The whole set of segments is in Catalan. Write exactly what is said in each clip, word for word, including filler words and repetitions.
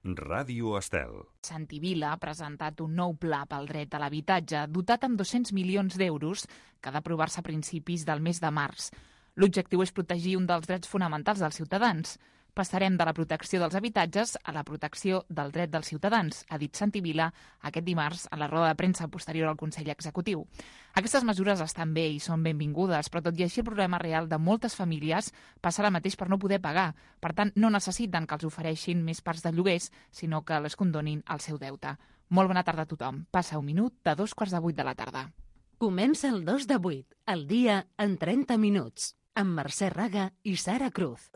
Ràdio Estel. Santi Vila ha presentat un nou pla pel dret a l'habitatge dotat amb dos-cents milions d'euros que ha d'aprovar-se a principis del mes de març. L'objectiu és protegir un dels drets fonamentals dels ciutadans. Passarem de la protecció dels habitatges a la protecció del dret dels ciutadans, ha dit Santi Vila aquest dimarts a la roda de premsa posterior al Consell Executiu. Aquestes mesures estan bé i són benvingudes, però tot i així el problema real de moltes famílies passa ara mateix per no poder pagar. Per tant, no necessiten que els ofereixin més parts de lloguers, sinó que les condonin el seu deute. Molt bona tarda a tothom. Passa un minut de dos quarts de vuit de la tarda. Comença el dos de vuit, el dia en trenta minuts, amb Mercè Raga i Sara Cruz.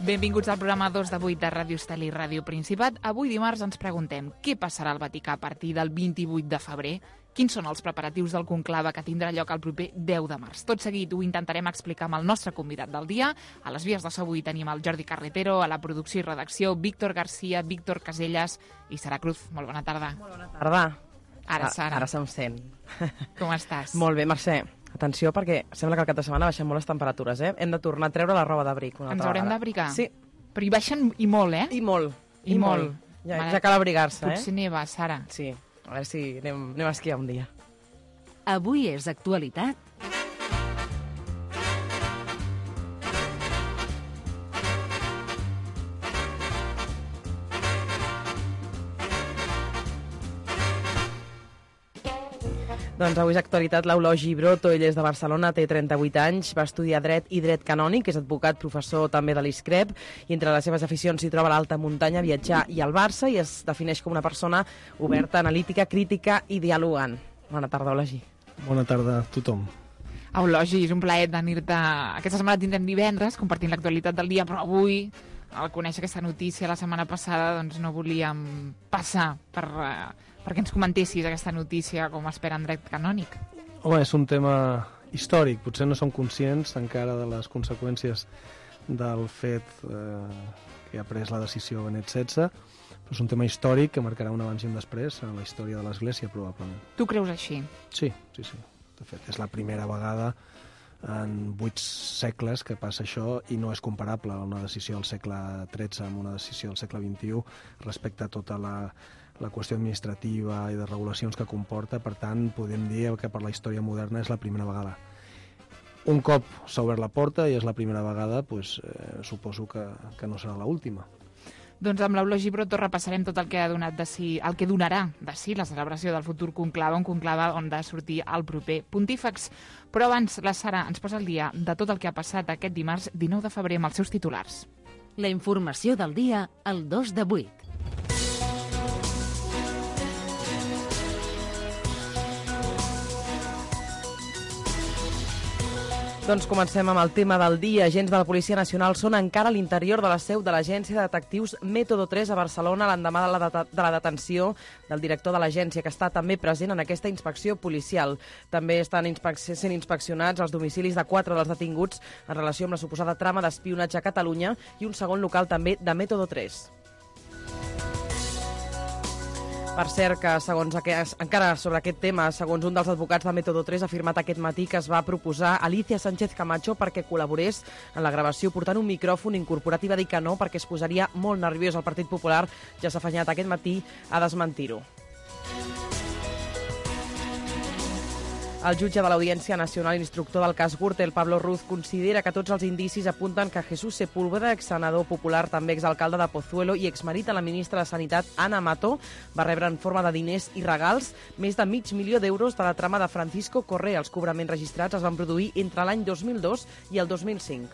Benvinguts al programa dos de vuit de Ràdio Estel i Ràdio Principat. Avui dimarts ens preguntem què passarà al Vaticà a partir del vint-i-vuit de febrer, quins són els preparatius del conclave que tindrà lloc el proper deu de març. Tot seguit ho intentarem explicar amb el nostre convidat del dia. A les vies de so avui tenim el Jordi Carretero, a la producció i redacció Víctor Garcia, Víctor Casellas i Sara Cruz. Molt bona tarda. Molt bona tarda. Ara, Sara. Ara se'm sent. Com estàs? Molt bé, Mercè. Atenció, perquè sembla que al cap de setmana baixen molt les temperatures, eh? Hem de tornar a treure la roba d'abric una Ens altra haurem vegada. d'abrigar? Sí. Però hi baixen i molt, eh? I molt. I, I molt. molt. Ja, ja cal abrigar-se, eh? Potser neva, Sara. Sí. A veure si anem, anem a esquiar un dia. Avui és actualitat. Doncs avui és actualitat l'Eulogi Broto, ell és de Barcelona, té trenta-vuit anys, va estudiar dret i dret canònic, és advocat, professor també de l'ISCREP, i entre les seves aficions s'hi troba l'alta muntanya, viatjar i el Barça, i es defineix com una persona oberta, analítica, crítica i dialogant. Bona tarda, Eulogi. Bona tarda a tothom. Eulogi, és un plaer tenir-te. Aquesta setmana tindrem divendres, compartint l'actualitat del dia, però avui, al conèixer aquesta notícia la setmana passada, doncs no volíem passar per, uh, perquè ens comentessis aquesta notícia com espera en dret canònic. Home, és un tema històric. Potser no som conscients encara de les conseqüències del fet eh, que ha pres la decisió Benet setze, però és un tema històric que marcarà un abans i un després en la història de l'Església, probablement. Tu creus així? Sí, sí, sí. De fet, és la primera vegada en vuit segles que passa això i no és comparable a una decisió del segle tretze amb una decisió del segle vint-i-u respecte a tota la, la qüestió administrativa i de regulacions que comporta. Per tant, podem dir que per la història moderna és la primera vegada. Un cop s'ha obert la porta i és la primera vegada, doncs, eh, suposo que, que no serà l'última. Doncs amb l'Eulogi Broto repassarem tot el que ha donat de si, el que donarà de si la celebració del futur conclave, un conclave on ha de sortir el proper pontífex. Però abans, la Sara ens posa al dia de tot el que ha passat aquest dimarts dinou de febrer amb els seus titulars. La informació del dia al dos de vuit. Doncs comencem amb el tema del dia. Agents de la Policia Nacional són encara a l'interior de la seu de l'Agència de Detectius Método tres a Barcelona l'endemà de, la de, de la detenció del director de l'agència, que està també present en aquesta inspecció policial. També estan inspec sent inspeccionats els domicilis de quatre dels detinguts en relació amb la suposada trama d'espionatge a Catalunya i un segon local també de Método tres. Per cert, que segons aquest, encara sobre aquest tema, segons un dels advocats de Método tres, ha afirmat aquest matí que es va proposar Alicia Sánchez Camacho perquè col·laborés en la gravació portant un micròfon incorporat i va dir que no perquè es posaria molt nerviós. El Partit Popular ja s'ha afanyat aquest matí a desmentir-ho. El jutge de l'Audiència Nacional instructor del cas Gürtel, Pablo Ruz, considera que tots els indicis apunten que Jesús Sepúlveda, exsenador popular, també exalcalde de Pozuelo i exmarit de la ministra de Sanitat, Ana Mato, va rebre en forma de diners i regals més de mig milió d'euros de la trama de Francisco Correa. Els cobraments registrats es van produir entre l'any dos mil dos i el dos mil cinc.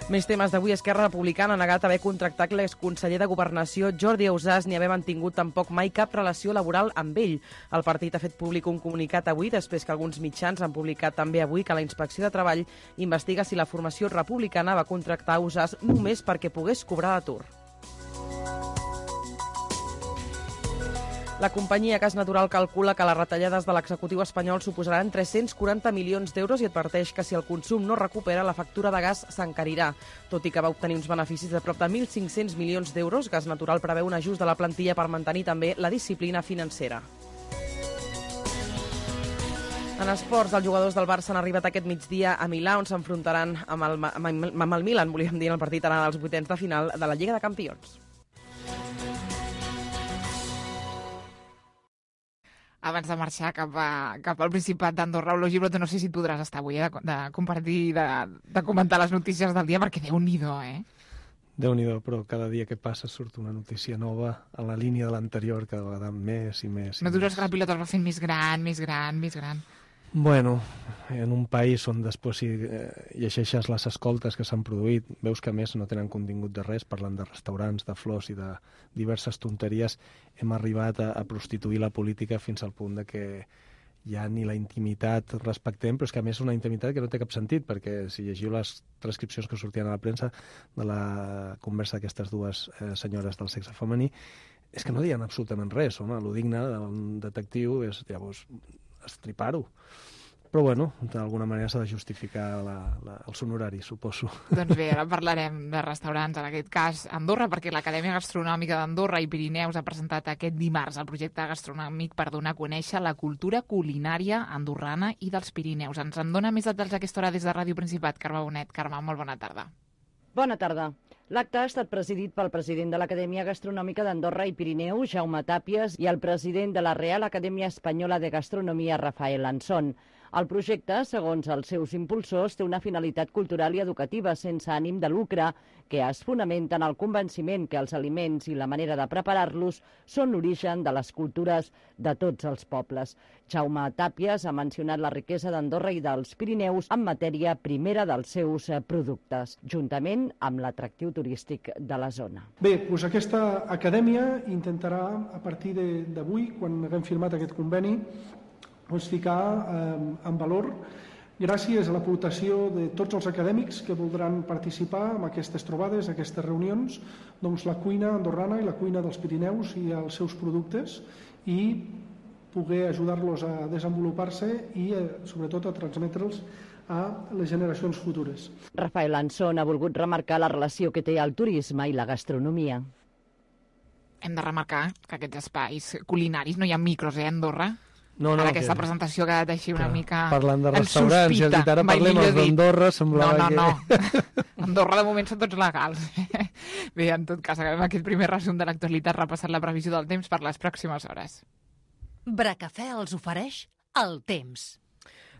Més temes d'avui. Esquerra Republicana ha negat haver contractat l'exconseller de Governació Jordi Ausàs ni haver mantingut tampoc mai cap relació laboral amb ell. El partit ha fet públic un comunicat avui, després que alguns mitjans han publicat també avui que la Inspecció de Treball investiga si la formació republicana va contractar Ausàs només perquè pogués cobrar l'atur. La companyia Gas Natural calcula que les retallades de l'executiu espanyol suposaran tres-cents quaranta milions d'euros i adverteix que si el consum no recupera, la factura de gas s'encarirà. Tot i que va obtenir uns beneficis de prop de mil cinc-cents milions d'euros, Gas Natural preveu un ajust de la plantilla per mantenir també la disciplina financera. En esports, els jugadors del Barça han arribat aquest migdia a Milà, on s'enfrontaran amb el, amb el Milan, volíem dir, en el partit anant als vuitens de final de la Lliga de Campions. Abans de marxar cap, a, cap al Principat d'Andorra, Olor Gibrot, no sé si podràs estar avui, eh, de, de compartir, de, de comentar les notícies del dia, perquè Déu-n'hi-do, eh? Déu-n'hi-do, però cada dia que passa surt una notícia nova a la línia de l'anterior, cada vegada més i més. I no dures més. Que la pilota es va fent més gran, més gran, més gran. Bueno, en un país on després si eh, llegeixes les escoltes que s'han produït, veus que a més no tenen contingut de res, parlen de restaurants, de flors i de diverses tonteries, hem arribat a, a prostituir la política fins al punt de que ja ni la intimitat respectem, però és que a més és una intimitat que no té cap sentit, perquè si llegiu les transcripcions que sortien a la premsa de la conversa d'aquestes dues eh, senyores del sexe femení, és que no diuen absolutament res, home, lo digne d'un detectiu és, llavors, estripar-ho. Però, bueno, d'alguna manera s'ha de justificar la, la, els honoraris, suposo. Doncs bé, ara parlarem de restaurants, en aquest cas Andorra, perquè l'Acadèmia Gastronòmica d'Andorra i Pirineus ha presentat aquest dimarts el projecte gastronòmic per donar a conèixer la cultura culinària andorrana i dels Pirineus. Ens en dona més detalls a aquesta hora des de Ràdio Principat. Carme Bonet. Carme, molt bona tarda. Bona tarda. L'acte ha estat presidit pel president de l'Acadèmia Gastronòmica d'Andorra i Pirineu, Jaume Tàpies, i el president de la Real Acadèmia Espanyola de Gastronomia, Rafael Anson. El projecte, segons els seus impulsors, té una finalitat cultural i educativa sense ànim de lucre, que es fonamenta en el convenciment que els aliments i la manera de preparar-los són l'origen de les cultures de tots els pobles. Jaume Tàpies ha mencionat la riquesa d'Andorra i dels Pirineus en matèria primera dels seus productes, juntament amb l'atractiu turístic de la zona. Bé, doncs aquesta acadèmia intentarà, a partir d'avui, quan haguem firmat aquest conveni, doncs ficar eh, en valor, gràcies a l'aportació de tots els acadèmics que voldran participar en aquestes trobades, aquestes reunions, doncs la cuina andorrana i la cuina dels Pirineus i els seus productes, i poder ajudar-los a desenvolupar-se i, eh, sobretot, a transmetre'ls a les generacions futures. Rafael Anson ha volgut remarcar la relació que té el turisme i la gastronomia. Hem de remarcar que aquests espais culinaris no hi ha micros, eh, a Andorra? No, no, ara aquesta que... presentació ha quedat així una Clar, mica... Parlant de restaurants, i has dit ara parlem els d'Andorra, semblava no, no, que... No, no, Andorra de moment són tots legals. Bé, en tot cas, acabem aquest primer resum de l'actualitat repassant la previsió del temps per les pròximes hores. Bracafè els ofereix el temps.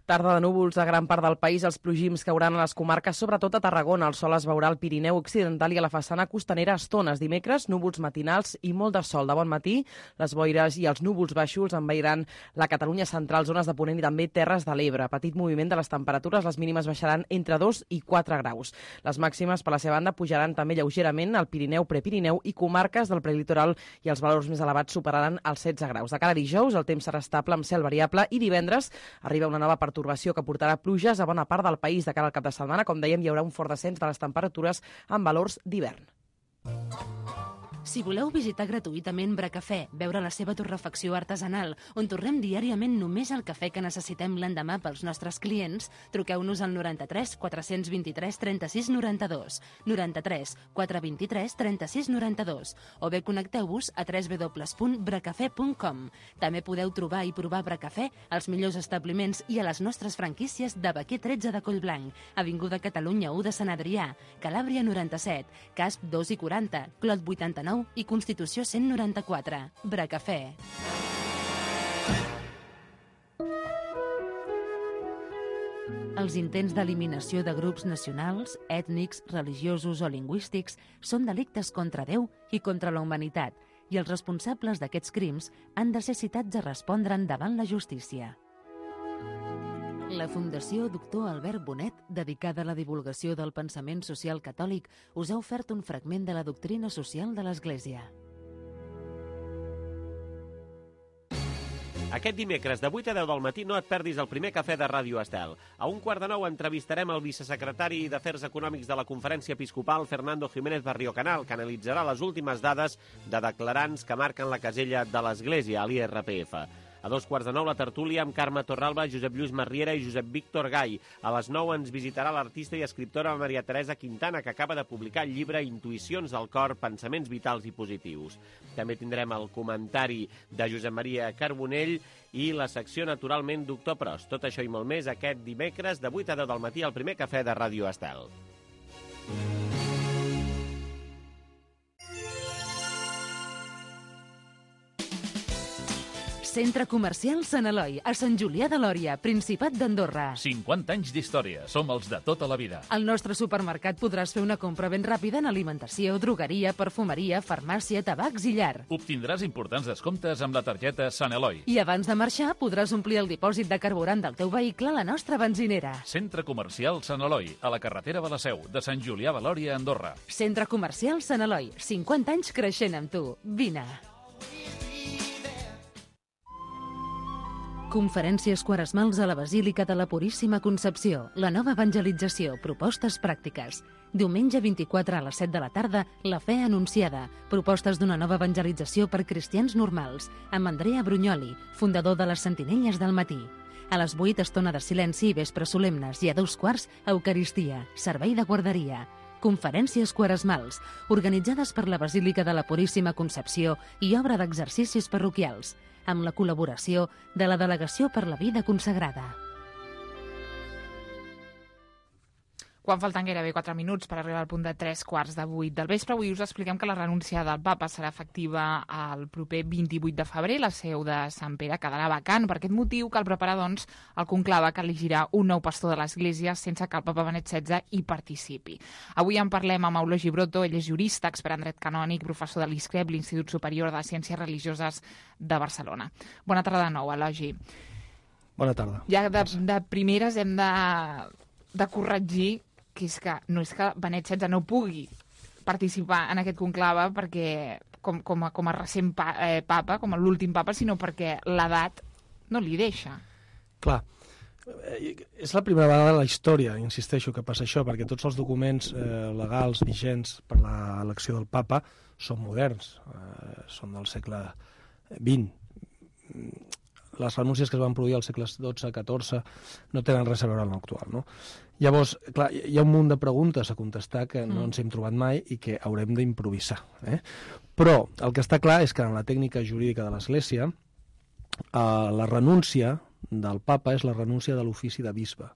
Tarda de núvols a gran part del país, els plogims cauran a les comarques, sobretot a Tarragona. El sol es veurà al Pirineu occidental i a la façana costanera a estones. Dimecres, núvols matinals i molt de sol. De bon matí, les boires i els núvols baixos envairan la Catalunya central, zones de Ponent i també Terres de l'Ebre. Petit moviment de les temperatures, les mínimes baixaran entre dos i quatre graus. Les màximes, per la seva banda, pujaran també lleugerament al Pirineu, Prepirineu i comarques del prelitoral, i els valors més elevats superaran els setze graus. De cara a dijous, el temps serà estable amb cel variable i divendres arriba una nova perturbació que portarà pluges a bona part del país. De cara al cap de setmana, com dèiem, hi haurà un fort descens de les temperatures amb valors d'hivern. Si voleu visitar gratuïtament Bracafè, veure la seva torrefacció artesanal, on torrem diàriament només el cafè que necessitem l'endemà pels nostres clients, truqueu-nos al noranta-tres quatre vint-i-tres trenta-sis noranta-dos, noranta-tres quatre vint-i-tres trenta-sis noranta-dos, o bé connecteu-vos a w w w punt bracafè punt com. També podeu trobar i provar Bracafè als millors establiments i a les nostres franquícies de Baquer tretze de Collblanc, Avinguda Catalunya u de Sant Adrià, Calàbria noranta-set, Casp dos i quaranta, Clot vuitanta-nou i Constitució cent noranta-quatre. Bracafè. Els intents d'eliminació de grups nacionals, ètnics, religiosos o lingüístics són delictes contra Déu i contra la humanitat, i els responsables d'aquests crims han de ser citats a respondre'n davant la justícia. La Fundació Doctor Albert Bonet, dedicada a la divulgació del pensament social catòlic, us ha ofert un fragment de la doctrina social de l'Església. Aquest dimecres de vuit a deu del matí no et perdis el primer cafè de Ràdio Estel. A un quart de nou entrevistarem el vicesecretari d'Afers Econòmics de la Conferència Episcopal, Fernando Jiménez Barriocanal, que analitzarà les últimes dades de declarants que marquen la casella de l'Església, a l'I R P F. A dos quarts de nou la tertúlia amb Carme Torralba, Josep Lluís Marriera i Josep Víctor Gai. A les nou ens visitarà l'artista i escriptora Maria Teresa Quintana, que acaba de publicar el llibre Intuïcions del cor, pensaments vitals i positius. També tindrem el comentari de Josep Maria Carbonell i la secció Naturalment Doctor Pros. Tot això i molt més aquest dimecres de vuit a deu del matí al primer cafè de Ràdio Estel. Centre Comercial Sant Eloi, a Sant Julià de Lòria, Principat d'Andorra. cinquanta anys d'història. Som els de tota la vida. Al nostre supermercat podràs fer una compra ben ràpida en alimentació, drogueria, perfumeria, farmàcia, tabacs i llar. Obtindràs importants descomptes amb la targeta Sant Eloi. I abans de marxar podràs omplir el dipòsit de carburant del teu vehicle a la nostra benzinera. Centre Comercial Sant Eloi, a la carretera de la Seu, de Sant Julià de Lòria, Andorra. Centre Comercial Sant Eloi, cinquanta anys creixent amb tu. Vine. Conferències quaresmals a la Basílica de la Puríssima Concepció. La nova evangelització. Propostes pràctiques. Diumenge vint-i-quatre a les set de la tarda, La fe anunciada. Propostes d'una nova evangelització per cristians normals. Amb Andrea Brugnoli, fundador de les Sentinelles del Matí. A les vuit, estona de silenci i vespres solemnes. I a dos quarts, Eucaristia. Servei de guarderia. Conferències quaresmals, organitzades per la Basílica de la Puríssima Concepció i obra d'exercicis parroquials, amb la col·laboració de la Delegació per la Vida Consagrada. Quan falten gairebé quatre minuts per arribar al punt de tres quarts de vuit del vespre, avui us expliquem que la renúncia del papa serà efectiva el proper vint-i-vuit de febrer. La seu de Sant Pere quedarà vacant. Per aquest motiu cal preparar, doncs, el conclave que elegirà un nou pastor de l'Església sense que el papa Benet setze hi participi. Avui en parlem amb Eulogi Broto. Ell és jurista, expert en dret canònic, professor de l'I S C R E B, l'Institut Superior de Ciències Religioses de Barcelona. Bona tarda de nou, Eulogi. Bona tarda. Ja de, de primeres hem de, de corregir que és que no és que Benet setze no pugui participar en aquest conclave perquè com, com, a, com a recent pa, eh, papa, com l'últim papa, sinó perquè l'edat no li deixa. Clar, és la primera vegada de la història, insisteixo, que passa això, perquè tots els documents eh, legals vigents per a l'elecció del papa són moderns, eh, són del segle vint. Les renúncies que es van produir als segles dotze, catorze no tenen res a veure amb l'actual, no? Llavors, clar, hi ha un munt de preguntes a contestar que no ens hem trobat mai i que haurem d'improvisar. Eh? Però el que està clar és que en la tècnica jurídica de l'Església eh, la renúncia del papa és la renúncia de l'ofici de bisbe.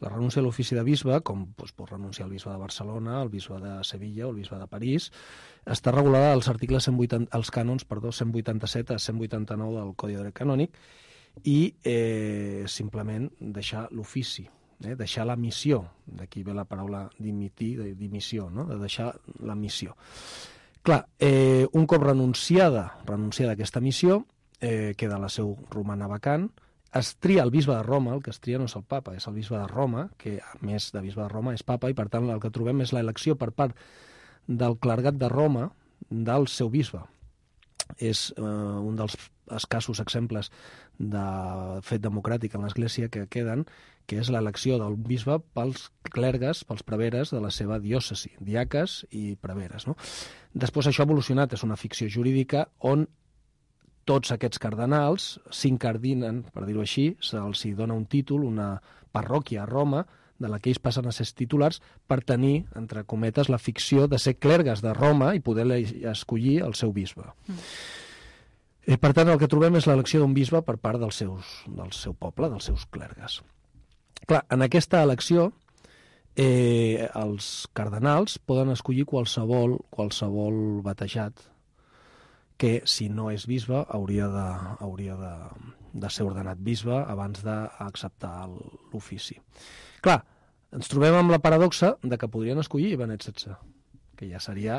La renúncia de l'ofici de bisbe, com doncs, pot renunciar el bisbe de Barcelona, el bisbe de Sevilla o el bisbe de París, està regulada als articles cent vuitanta, als cànons, perdó, cent vuitanta-set a cent vuitanta-nou del Codi de Dret Canònic i eh, simplement deixar l'ofici, eh, deixar la missió, d'aquí ve la paraula dimitir, de dimissió, no? De deixar la missió. Clar, eh, un cop renunciada, renunciada aquesta missió, eh, queda la seu romana vacant, es tria el bisbe de Roma, el que es tria no és el papa, és el bisbe de Roma, que a més de bisbe de Roma és papa, i per tant el que trobem és l'elecció per part del clergat de Roma del seu bisbe. És eh, un dels escassos exemples de fet democràtic en l'Església que queden, que és l'elecció del bisbe pels clergues, pels preveres de la seva diòcesi, diaques i preveres, no? Després això ha evolucionat, és una ficció jurídica on tots aquests cardenals s'incardinen, per dir-ho així, se'ls dona un títol, una parròquia a Roma, de la que ells passen a ser titulars per tenir, entre cometes, la ficció de ser clergues de Roma i poder escollir el seu bisbe. Mm. Eh, per tant, el que trobem és l'elecció d'un bisbe per part dels seus, del seu poble, dels seus clergues. Clar, en aquesta elecció, eh, els cardenals poden escollir qualsevol, qualsevol batejat que, si no és bisbe, hauria de, hauria de, de ser ordenat bisbe abans d'acceptar l'ofici. Clar, ens trobem amb la paradoxa de que podrien escollir Benet setze, que ja seria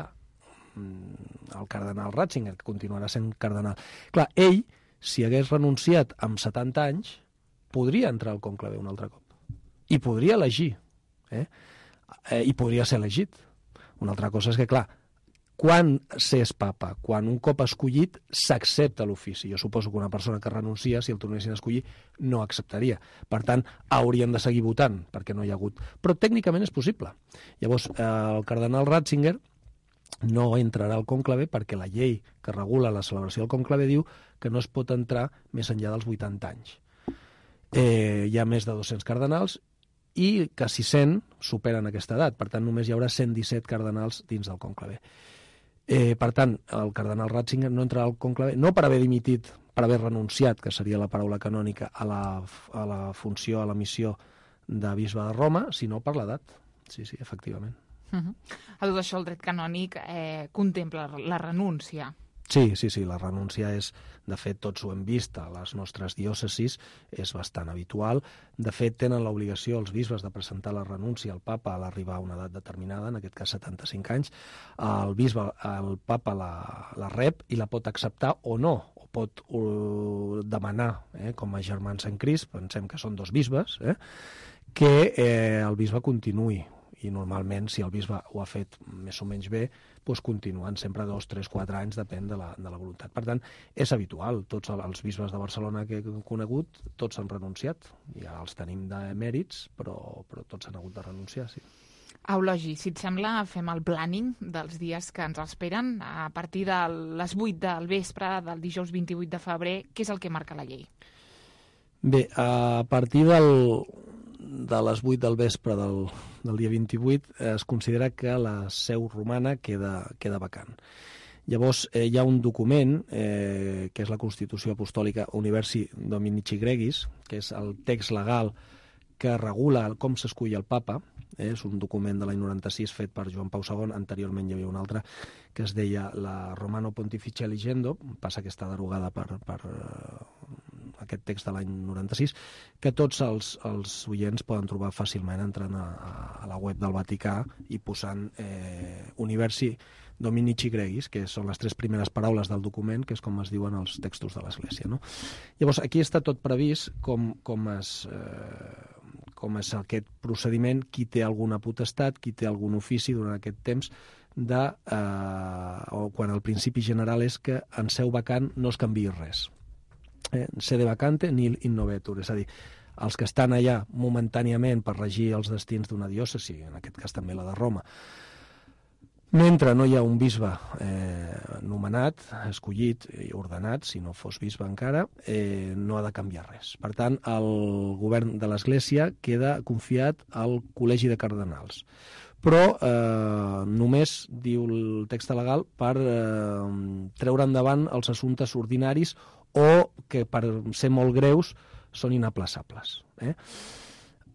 el cardenal Ratzinger, que continuarà sent cardenal. Clar, ell, si hagués renunciat amb setanta anys, podria entrar al conclave un altre cop. I podria elegir. Eh? I podria ser elegit. Una altra cosa és que, clar, Quan s'és papa? Quan un cop escollit s'accepta l'ofici. Jo suposo que una persona que renuncia, si el tornessin a escollir, no acceptaria. Per tant, haurien de seguir votant, perquè no hi ha hagut. Però tècnicament és possible. Llavors, el cardenal Ratzinger no entrarà al conclave perquè la llei que regula la celebració del conclave diu que no es pot entrar més enllà dels vuitanta anys. Eh, hi ha més de dos-cents cardenals i quasi cent superen aquesta edat. Per tant, només hi haurà cent disset cardenals dins del conclave. Eh, per tant, el cardenal Ratzinger no entrarà al conclave, no per haver dimitit, per haver renunciat, que seria la paraula canònica, a la, a la funció, a la missió de bisbe de Roma, sinó per l'edat. Sí, sí, efectivament. Uh-huh. A tot això el dret canònic eh, contempla la renúncia. Sí, sí, sí, la renúncia és, de fet, tots ho hem vist a les nostres diòcesis, és bastant habitual. De fet, tenen l'obligació els bisbes de presentar la renúncia al papa a l'arribar a una edat determinada, en aquest cas setanta-cinc anys. El bisbe, el papa la, la rep i la pot acceptar o no, o pot uh, demanar, eh, com a germans en Crist, pensem que són dos bisbes, eh, que eh, el bisbe continuï. I normalment, si el bisbe ho ha fet més o menys bé, doncs continuen sempre dos, tres, quatre anys, depèn de la, de la voluntat. Per tant, és habitual. Tots els bisbes de Barcelona que he conegut, tots han renunciat. Ja els tenim de mèrits, però, però tots han hagut de renunciar, sí. Eulogi, si et sembla, fem el planning dels dies que ens esperen. A partir de les vuit del vespre del dijous vint-i-vuit de febrer, què és el que marca la llei? Bé, a partir del... de les vuit del vespre del, del dia vint-i-vuit es considera que la seu romana queda, queda vacant. Llavors, eh, hi ha un document, eh, que és la Constitució Apostòlica Universi Dominici Gregis, que és el text legal que regula com s'escull el papa. Eh, és un document de l'any noranta-sis fet per Joan Pau segon. Anteriorment hi havia un altre que es deia la Romano Pontificia Legendo, passa que està derogada per... per aquest text de l'any noranta-sis, que tots els, els oients poden trobar fàcilment entrant a, a la web del Vaticà i posant eh, Universi Dominici Gregis, que són les tres primeres paraules del document, que és com es diuen els textos de l'Església, no? Llavors, aquí està tot previst com, com, es, eh, com és aquest procediment, qui té alguna potestat, qui té algun ofici durant aquest temps, de, eh, o quan el principi general és que en seu vacant no es canviï res. Eh, sede vacante nil innovetur, és a dir, els que estan allà momentàniament per regir els destins d'una diòcesi, en aquest cas també la de Roma, mentre no hi ha un bisbe eh, nomenat, escollit i ordenat, si no fos bisbe encara, eh, no ha de canviar res. Per tant, el govern de l'Església queda confiat al Col·legi de Cardenals. Però eh, només, diu el text legal, per eh, treure endavant els assumptes ordinaris o que, per ser molt greus, són inaplaçables. Eh?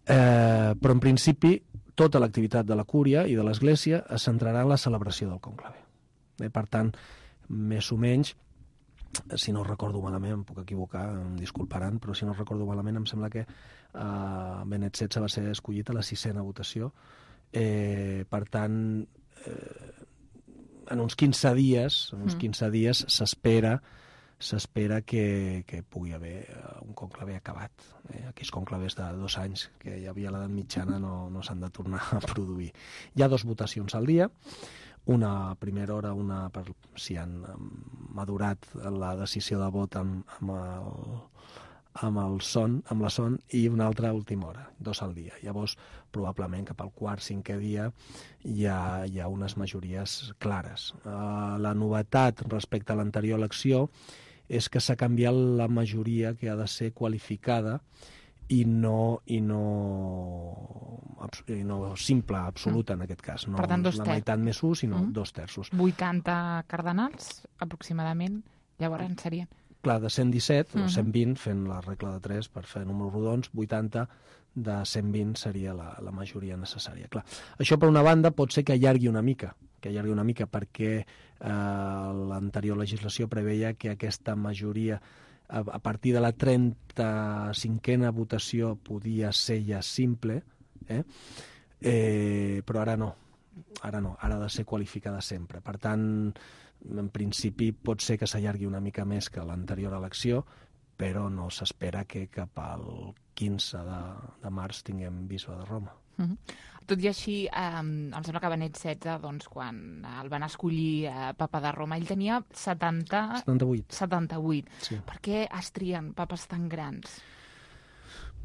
Eh, però, en principi, tota l'activitat de la Cúria i de l'Església es centrarà en la celebració del conclave. Eh? Per tant, més o menys, si no recordo malament, em puc equivocar, em disculparan, però si no recordo malament, em sembla que eh, Benet setze va ser escollit a la sisena votació. Eh, per tant, eh, en uns quinze dies, en uns quinze dies s'espera s'espera que, que pugui haver un conclave acabat. Eh? Aquells conclaves de dos anys que hi havia a l'edat mitjana no, no s'han de tornar a produir. Hi ha dues votacions al dia, una a primera hora, una per si han madurat la decisió de vot amb, amb, el, amb, el son, amb la son, i una altra a última hora, dos al dia. Llavors, probablement cap al quart, cinquè dia hi ha, hi ha unes majories clares. Uh, la novetat respecte a l'anterior elecció és que s'ha canviat la majoria que ha de ser qualificada i no, i no, i no simple, absoluta, en aquest cas. No per tant, dos la meitat més un, sinó mm. dos terços. vuitanta cardenals, aproximadament, llavors serien... Clar, de cent disset o cent vint, fent la regla de tres per fer números rodons, vuitanta de cent vint seria la, la majoria necessària. Clar, això, per una banda, pot ser que allargui una mica, que allargui una mica perquè eh, l'anterior legislació preveia que aquesta majoria, a, a partir de la trenta-cinquena votació, podia ser ja simple, eh? Eh, però ara no. Ara no, ara ha de ser qualificada sempre. Per tant, en principi pot ser que s'allargui una mica més que l'anterior elecció, però no s'espera que cap al quinze de, de març tinguem bisbe de Roma. Uh-huh. Tot i així, eh, em sembla que Benet setze, doncs, quan el van escollir eh, papa de Roma, ell tenia setanta... setanta-vuit. setanta-vuit. Sí. Per què es trien papes tan grans?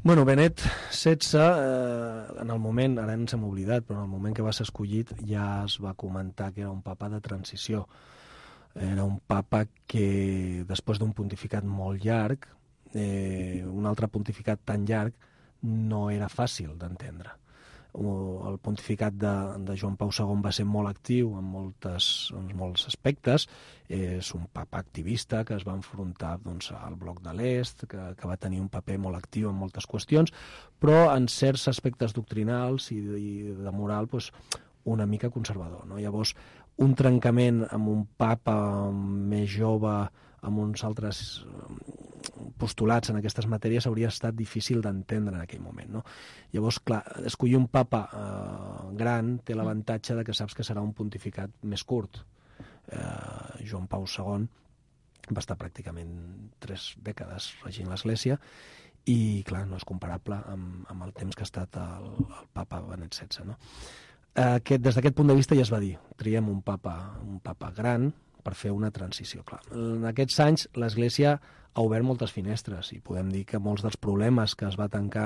Bueno, Benet setze, eh, en el moment, ara ens hem oblidat, però en el moment que va ser escollit ja es va comentar que era un papa de transició. Era un papa que, després d'un pontificat molt llarg, eh, un altre pontificat tan llarg, no era fàcil d'entendre. El pontificat de, de Joan Pau segon va ser molt actiu en, moltes, en molts aspectes. És un papa activista que es va enfrontar doncs, al bloc de l'Est, que, que va tenir un paper molt actiu en moltes qüestions, però en certs aspectes doctrinals i, i de moral doncs, una mica conservador. No? Llavors, un trencament amb un papa més jove, amb uns altres postulats en aquestes matèries hauria estat difícil d'entendre en aquell moment. No? Llavors, clar, escollir un papa eh, gran té l'avantatge de que saps que serà un pontificat més curt. Eh, Joan Pau segon va estar pràcticament tres dècades regint l'Església i, clar, no és comparable amb, amb el temps que ha estat el, el papa Benet setze. No? Aquest, des d'aquest punt de vista ja es va dir, triem un papa, un papa gran per fer una transició. Clar. En aquests anys l'Església ha obert moltes finestres i podem dir que molts dels problemes que es va tancar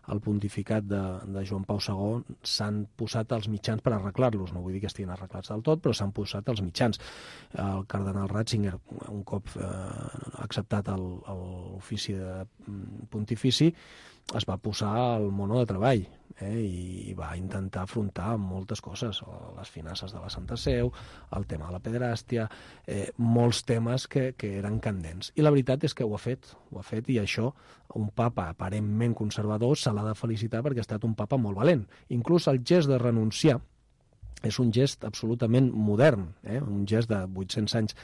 al pontificat de, de Joan Pau segon s'han posat als mitjans per arreglar-los. No vull dir que estiguin arreglats del tot, però s'han posat als mitjans. El cardenal Ratzinger, un cop eh, acceptat l'ofici de pontifici, es va posar al mono de treball eh, i va intentar afrontar moltes coses, les finances de la Santa Seu, el tema de la pederàstia, eh, molts temes que, que eren candents. I la veritat és que ho ha fet, ho ha fet i això, un papa aparentment conservador se l'ha de felicitar perquè ha estat un papa molt valent. Inclús el gest de renunciar és un gest absolutament modern, eh, un gest de vuit-cents anys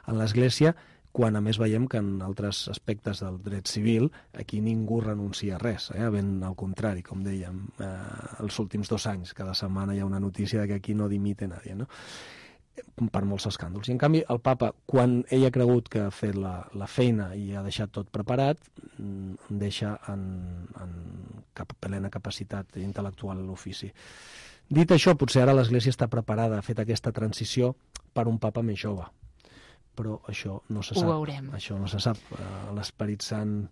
en l'Església, quan a més veiem que en altres aspectes del dret civil aquí ningú renuncia a res, eh? Ben al contrari, com dèiem, eh, els últims dos anys, cada setmana hi ha una notícia de que aquí no dimite nadie, no? Per molts escàndols. I en canvi el papa, quan ell ha cregut que ha fet la, la feina i ha deixat tot preparat, deixa en, en cap, plena capacitat intel·lectual l'ofici. Dit això, potser ara l'Església està preparada, ha fet aquesta transició per un papa més jove, però això no se sap. Ho veurem. Això no se sap. L'Esperit Sant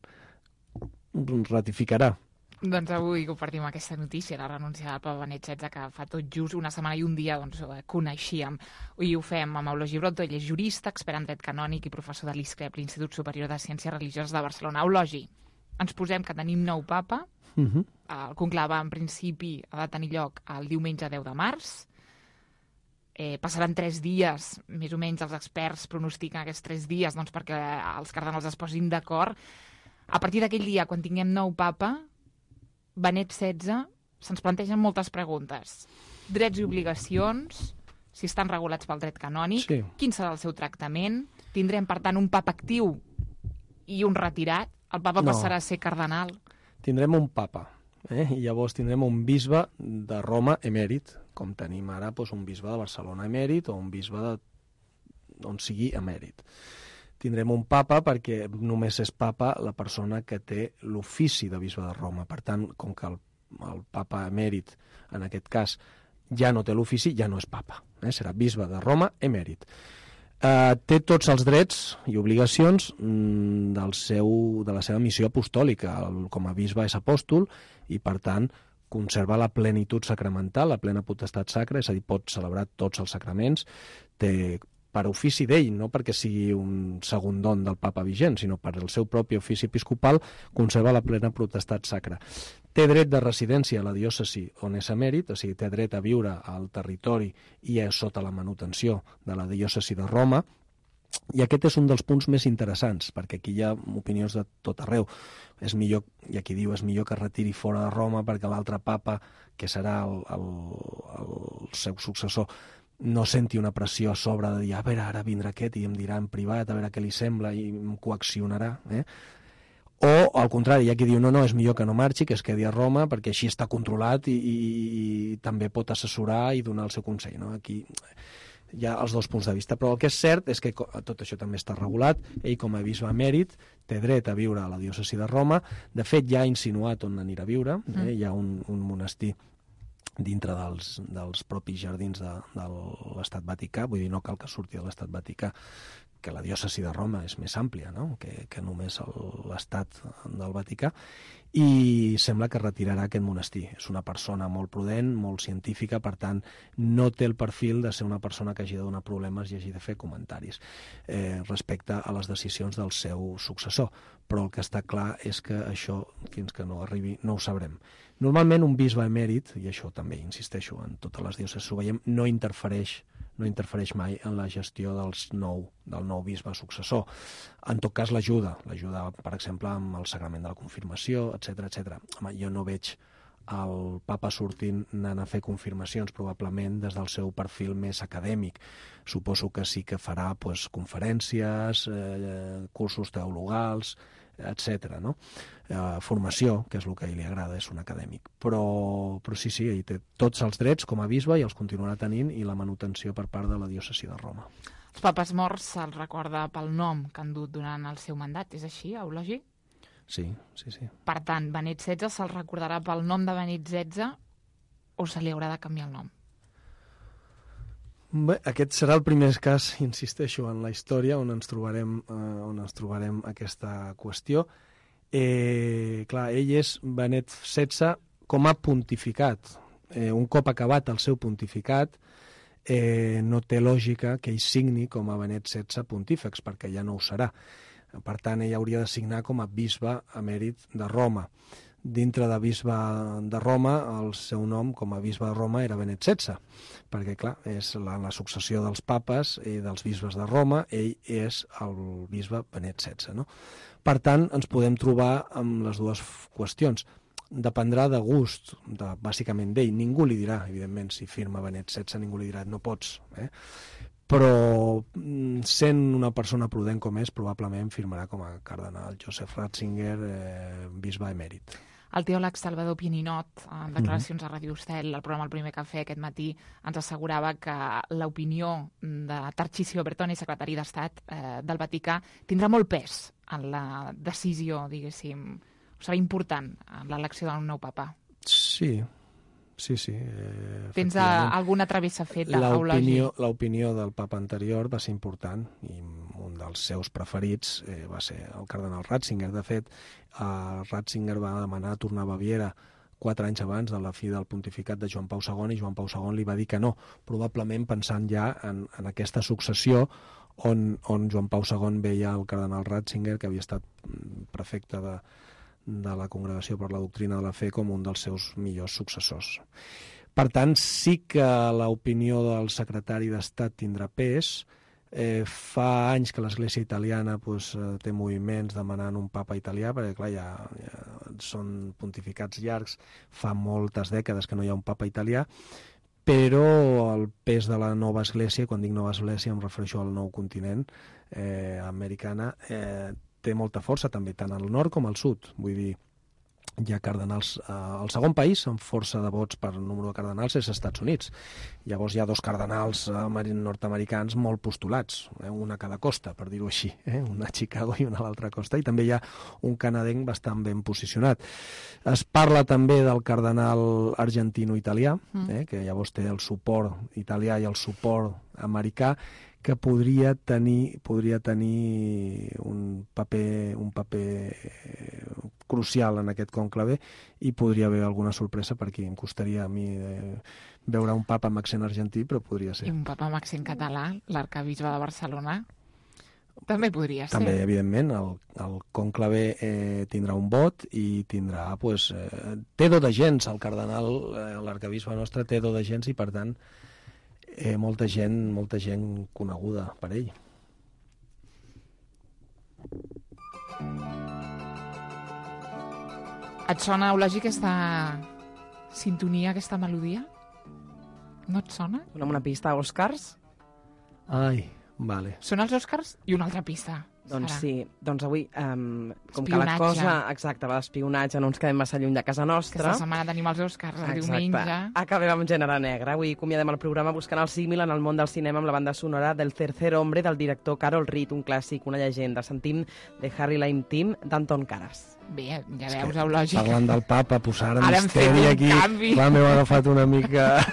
ratificarà. Doncs avui compartim aquesta notícia, la renúncia del papa Benet setze, que fa tot just una setmana i un dia doncs, coneixíem. I ho fem amb Eulogii Broto, ell és jurista, expert en dret canònic i professor de l'I S C R E P, l'Institut Superior de Ciències Religioses de Barcelona. Eulogii, ens posem que tenim nou papa. Uh-huh. El conclave, en principi, ha de tenir lloc el diumenge deu de març. Eh, passaran tres dies, més o menys els experts pronostiquen aquests tres dies doncs, perquè els cardenals es posin d'acord. A partir d'aquell dia, quan tinguem nou papa, Benet setze, se'ns plantegen moltes preguntes. Drets i obligacions, si estan regulats pel dret canònic, sí. Quin serà el seu tractament? Tindrem, per tant, un papa actiu i un retirat? El papa no. Passarà a ser cardenal? Tindrem un papa, eh? I llavors tindrem un bisbe de Roma emèrit, com tenim ara doncs, un bisbe de Barcelona emèrit o un bisbe de... on sigui emèrit. Tindrem un papa perquè només és papa la persona que té l'ofici de bisbe de Roma. Per tant, com que el, el papa emèrit, en aquest cas, ja no té l'ofici, ja no és papa. Eh? Serà bisbe de Roma emèrit. Eh, té tots els drets i obligacions mm, del seu, de la seva missió apostòlica. El, com a bisbe és apòstol i, per tant, conserva la plenitud sacramental, la plena potestat sacra, és a dir, pot celebrar tots els sacraments, té per ofici d'ell, no perquè sigui un segon don del papa vigent, sinó per el seu propi ofici episcopal, conserva la plena potestat sacra. Té dret de residència a la diòcesi on és emèrit, o sigui, té dret a viure al territori i és sota la manutenció de la diòcesi de Roma, i aquest és un dels punts més interessants, perquè aquí hi ha opinions de tot arreu. És millor, i aquí diu, és millor que retiri fora de Roma perquè l'altre papa, que serà el, el, el seu successor, no senti una pressió a sobre de dir, a veure, ara vindrà aquest i em dirà en privat, a veure què li sembla i em coaccionarà. Eh? O, al contrari, hi ha qui diu, no, no, és millor que no marxi, que es quedi a Roma, perquè així està controlat i, i, i també pot assessorar i donar el seu consell. No? Aquí hi ha els dos punts de vista, però el que és cert és que tot això també està regulat. Ell, com a bisbe emèrit, té dret a viure a la diòcesi de Roma. De fet, ja ha insinuat on anirà a viure. Eh? Hi ha un, un monestir dintre dels, dels propis jardins de, de l'Estat Vaticà, vull dir, no cal que surti de l'Estat Vaticà, que la diòcesi de Roma és més àmplia, no?, que, que només l'Estat del Vaticà, i sembla que retirarà aquest monestir. És una persona molt prudent, molt científica, per tant, no té el perfil de ser una persona que hagi de donar problemes i hagi de fer comentaris eh, respecte a les decisions del seu successor. Però el que està clar és que això, fins que no arribi, no ho sabrem. Normalment un bisbe emèrit, i això també insisteixo en totes les diòcesis ho veiem, no interfereix no interfereix mai en la gestió dels nou, del nou bisbe successor. En tot cas, l'ajuda, l'ajuda, per exemple, amb el sagrament de la confirmació, etcètera, etcètera. Home, jo no veig el papa sortint anant a fer confirmacions, probablement des del seu perfil més acadèmic. Suposo que sí que farà pues, conferències, eh, cursos teologals, etcètera, no? Eh, formació, que és el que a ell li agrada, és un acadèmic. Però, però sí, sí, ell té tots els drets com a bisbe i els continuarà tenint, i la manutenció per part de la diòcesi de Roma. Els papes morts se'ls recorda pel nom que han dut durant el seu mandat, és així, Eulogi? Sí, sí, sí. Per tant, Benet setze se'l recordarà pel nom de Benet setze o se li haurà de canviar el nom? Bé, aquest serà el primer cas, insisteixo, en la història on ens trobarem, eh, on ens trobarem aquesta qüestió. Eh, clar, ell és Benet setze com a pontificat. Eh, un cop acabat el seu pontificat, eh, no té lògica que ell signi com a Benet setze pontífex, perquè ja no ho serà. Per tant, ell hauria de signar com a bisbe emèrit de Roma. Dintre de bisbe de Roma, el seu nom com a bisbe de Roma era Benet setze, perquè, clar, és la, la successió dels papes i dels bisbes de Roma, ell és el bisbe Benet setze, no? Per tant, ens podem trobar amb les dues qüestions. Dependrà de gust, de, bàsicament d'ell. Ningú li dirà, evidentment, si firma Benet setze, ningú li dirà, no pots, eh? Però sent una persona prudent com és, probablement firmarà com a cardenal Joseph Ratzinger, eh, bisbe emèrit. El teòleg Salvador Pieninot, en declaracions a Ràdio Estel, al programa El Primer Cafè aquest matí, ens assegurava que l'opinió de Tarcisio Bertone, secretari d'Estat eh, del Vaticà, tindrà molt pes en la decisió, diguéssim, serà important en l'elecció del nou papa. Sí, sí, sí. Eh, Tens alguna travessa feta, Eulogi? L'opinió del papa anterior va ser important, i un dels seus preferits eh, va ser el cardenal Ratzinger. De fet, eh, Ratzinger va demanar tornar a Baviera quatre anys abans de la fi del pontificat de Joan Pau segon, i Joan Pau segon li va dir que no, probablement pensant ja en, en aquesta successió on, on Joan Pau segon veia el cardenal Ratzinger, que havia estat prefecte de, de la Congregació per la Doctrina de la Fe, com un dels seus millors successors. Per tant, sí que l'opinió del secretari d'Estat tindrà pes. Eh, fa anys que l'Església italiana pues, té moviments demanant un papa italià, perquè clar, ja, ja són pontificats llargs, fa moltes dècades que no hi ha un papa italià, però el pes de la nova església, quan dic nova església em refereixo al nou continent eh, americana, eh, té molta força també, tant al nord com al sud. Vull dir, hi ha cardenals... Eh, el segon país amb força de vots per número de cardenals és els Estats Units. Llavors hi ha dos cardenals eh, nord-americans molt postulats, eh, una a cada costa, per dir-ho així, eh, una a Chicago i una a l'altra costa, i també hi ha un canadenc bastant ben posicionat. Es parla també del cardenal argentino-italià, eh, que llavors té el suport italià i el suport americà, que podria tenir, podria tenir un paper, un paper crucial en aquest conclave, i podria haver alguna sorpresa per aquí. Em costaria a mi eh, veure un papa amb accent argentí, però podria ser. I un papa amb accent català, l'arcabisbe de Barcelona, també podria ser. També, evidentment, el, el conclave eh, tindrà un vot i tindrà, pues, eh, té do de gens, el cardenal, eh, l'arcabisbe nostre té do de gens, i per tant Eh, molta gent, molta gent coneguda per ell. Et sona, Eulogi, aquesta sintonia, aquesta melodia? No et sona? Dona'm una pista, Oscars? Ai, vale. Són els Oscars i una altra pista. Doncs Serà. sí, doncs avui, um, com que Espionatge. la cosa, exacte, va d'espionatge, no ens quedem massa lluny de casa nostra. Aquesta setmana tenim els Oscars, el Exacte. diumenge. Acabem amb Gènere Negre. Avui acomiadem el programa buscant el símil en el món del cinema amb la banda sonora del Tercer Hombre del director Carol Reed, un clàssic, una llegenda. Sentim The Harry Lime Team d'Anton Karas. Bé, ja veus, Eulògic. Parlant del papa, posar ara Ara hem fet misteri un aquí. canvi. Clar, m'heu agafat una mica...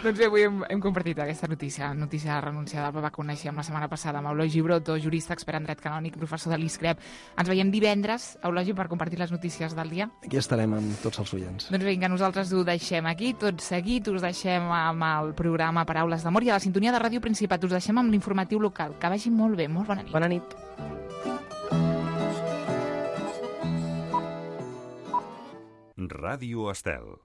Doncs bé, avui hem, hem compartit aquesta notícia, notícia de la renúncia del papa que coneixíem la setmana passada amb Eulogi Broto, jurista, expert en dret canònic, professor de l'ISCREP. Ens veiem divendres, Eulogi, per compartir les notícies del dia. Aquí estarem amb tots els oients. Doncs vinga, nosaltres ho deixem aquí, tot seguit, us deixem amb el programa Paraules d'Amor i a la sintonia de Ràdio Principat us deixem amb l'informatiu local. Que vagi molt bé, molt bona nit. Bona nit. Ràdio Estel.